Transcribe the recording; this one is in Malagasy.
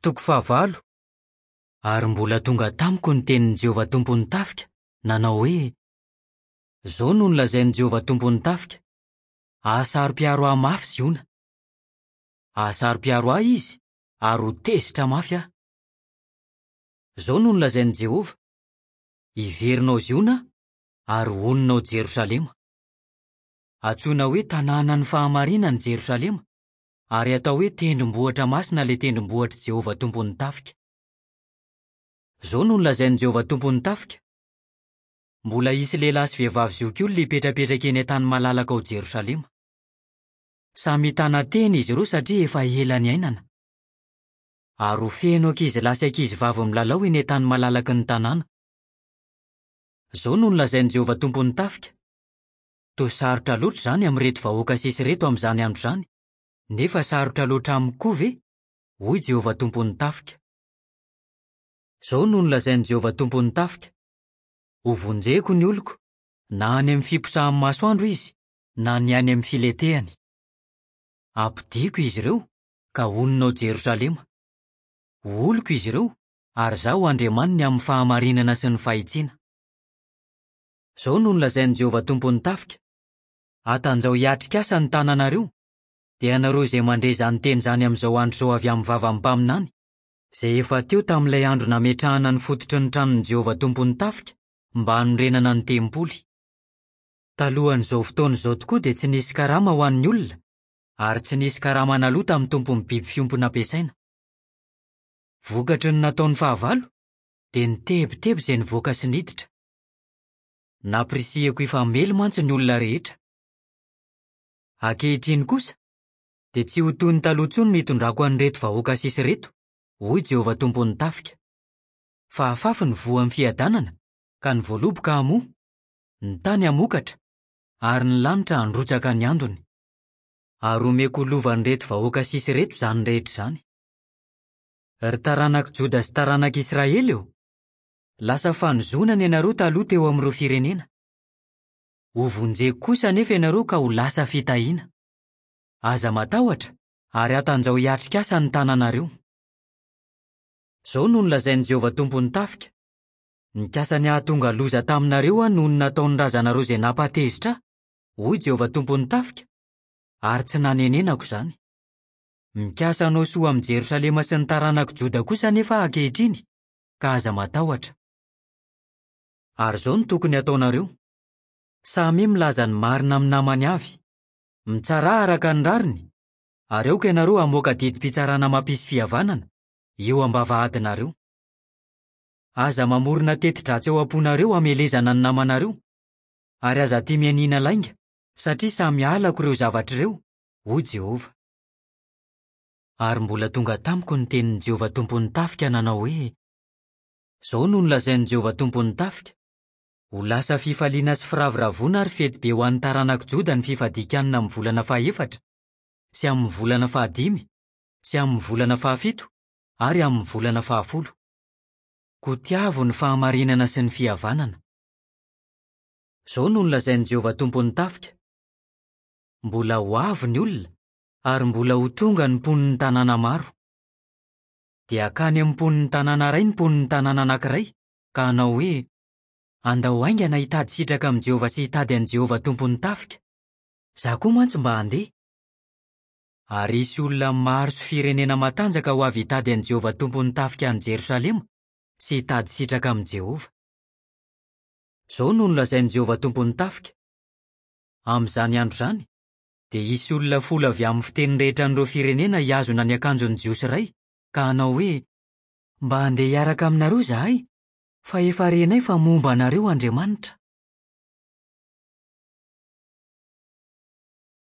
Toko fahavalo. Ary mbola tonga tamiko ny tenin'i Jehovah Tompon'ny tafika, nanao hoe, Izao no nolazain'i Jehovah Tompon'ny tafika, Hahasaro-piaro ahy mafy Ziona. Hahasaro-piaro ahy izy, ary ho tezitra mafy aho. Izao no nolazain'i Jehovah, Hiverina ao Ziona aho, ary honina ao Jerosalema. Antsoina hoe tanànan'ny fahamarinana i Jerosalema, ary atao hoe tendrombohitra masina ilay tendrombohitr'i Jehovah Tompon'ny tafika. Izao no nolazain'i Jehovah Tompon'ny tafika, Mbola hisy lehilahy sy vehivavy zokiolona hipetrapetraka eny an-tany malalaka ao Jerosalema. Samy hitana tena izy ireo satria efa ela niainana. Ary ho feno ankizilahy sy ankizivavy milalao eny an-tany malalaky ny tanàna. Izao no nolazain'i Jehovah Tompon'ny tafika, Toa sarotra loatra izany amin'ireto vahoaka sisa ireto amin'izany andro izany, nefa sarotra loatra amiko koa ve? hoy Jehovah Tompon'ny tafika. Izao no nolazain'i Jehovah Tompon'ny tafika, Hovonjeko ny oloko, na any amin'ny fiposahan'ny masoandro izy, na ny any amin'ny filetehany. Hampodiako izy ireo, ka honina ao Jerosalema. Ho oloko izy ireo, ary izaho ho Andriamaniny amin'ny fahamarinana sy ny fahitsiana. Izao no nolazain'i Jehovah Tompon'ny tafika, Hatanjaho hiatrika asa ny tananareo, dia ianareo izay mandre izany teny izany amin'izao andro izao avy amin'ny vavan'ny mpaminany, izay efa teo tamin'ilay andro nametrahana ny fototry ny tranon'i Jehovah Tompon'ny tafika mba hanorenana ny tempoly. Talohan'izao fotoana izao tokoa dia tsy nisy karama ho an'ny olona, ary tsy nisy karama naloa tamin'ny tompon'ny biby fiompy nampiasaina. Vokatry ny nataon'ny fahavalo, dia nitebiteby izay nivoaka sy niditra. Nampirisihiko hifamely mantsy ny olona rehetra. Ankehitriny kosa, dia tsy ho toy ny taloha intsony no hitondrako an'ireto vahoaka sisa ireto, hoy Jehovah Tompon'ny tafika. Fa hafafy ny voan'ny fiadanana, ka ny voaloboka hamoa, ny tany hamokatra, ary ny lanitra handrotsaka ny andony. Ary homeko ho lovan'ireto vahoaka sisa ireto izany rehetra izany. Ry taranak'i Joda sy taranak'i Israely ô! Lasa fanozonana ianareo taloha teo amin'ireo firenena. Hovonjeko kosa anefa ianareo ka ho lasa fitahiana. Aza matahotra ary hatanjaho hiatrika asa ny tananareo. Izao no nolazain'i Jehovah Tompon'ny tafika, Nikasa ny hahatonga loza taminareo aho noho ny nataon'ny razanareo izay nampahatezitra ahy, hoy Jehovah Tompon'ny tafika, ary tsy nanenenako izany. Mikasa hanao soa amin'i Jerosalema sy ny taranak'i Joda kosa anefa aho ankehitriny, ka aza matahotra. Ary izao no tokony hataonareo, Samia milaza ny marina amin'ny namany avy, mitsarà araka ny rariny, ary aoka ianareo hamoaka didim-pitsarana mampisy fihavanana, eo am-bavahadinareo. Aza mamorona teti-dratsy ao am-ponareo hamelezana ny namanareo, ary aza tia mianiana lainga, satria samy halako ireo zavatra ireo, hoy Jehovah. Ary mbola tonga tamiko ny tenin'i Jehovah Tompon'ny tafika nanao hoe, Izao no nolazain'i Jehovah Tompon'ny tafika, Ho lasa fifaliana sy firavoravoana ary fety be ho an'ny taranak'i Joda ny fifadian-kanina amin'ny volana fahefatra, sy amin'ny volana fahadimy, sy amin'ny volana fahafito, ary amin'ny volana fahafolo. Koa tiavo ny fahamarinana sy ny fihavanana. Izao no nolazain'i Jehovah Tompon'ny tafika, Mbola ho avy ny olona, ary mbola ho tonga ny mponin'ny tanàna maro. Dia hankany amin'ny mponin'ny tanàna iray ny mponin'ny tanàna anankiray, ka hanao hoe, 'Andao haingana hitady sitraka amin'i Jehovah sy hitady an'i Jehovah Tompon'ny tafika. Izaho koa mantsy mba handeha. Ary hisy olona maro sy firenena matanjaka ho avy hitady an'i Jehovah Tompon'ny tafika any Jerosalema sy hitady sitraka amin'i Jehovah. Izao no nolazain'i Jehovah Tompon'ny tafika, Amin'izany andro izany, dia hisy olona folo avy amin'ny fiteny rehetra an'ireo firenena hihazona ny akanjon'ny Jiosy iray, ka hanao hoe, 'Mba handeha hiaraka aminareo izahay, fa efa renay fa momba anareo Andriamanitra.